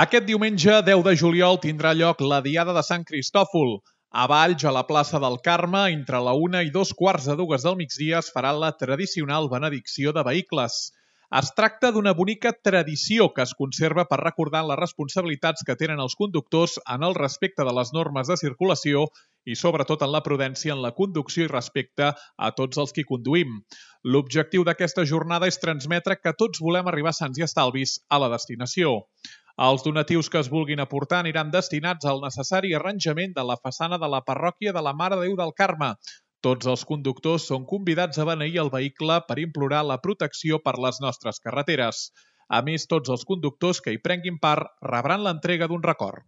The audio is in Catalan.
Aquest diumenge 10 de juliol tindrà lloc la Diada de Sant Cristòfol. A Valls, a la plaça del Carme, entre la 1 i 2:15 del migdia es farà la tradicional benedicció de vehicles. Es tracta d'una bonica tradició que es conserva per recordar les responsabilitats que tenen els conductors en el respecte de les normes de circulació i sobretot en la prudència en la conducció i respecte a tots els qui conduïm. L'objectiu d'aquesta jornada és transmetre que tots volem arribar sants i estalvis a la destinació. Els donatius que es vulguin aportar aniran destinats al necessari arranjament de la façana de la parròquia de la Mare de Déu del Carme. Tots els conductors són convidats a beneir el vehicle per implorar la protecció per les nostres carreteres. A més, tots els conductors que hi prenguin part rebran l'entrega d'un record.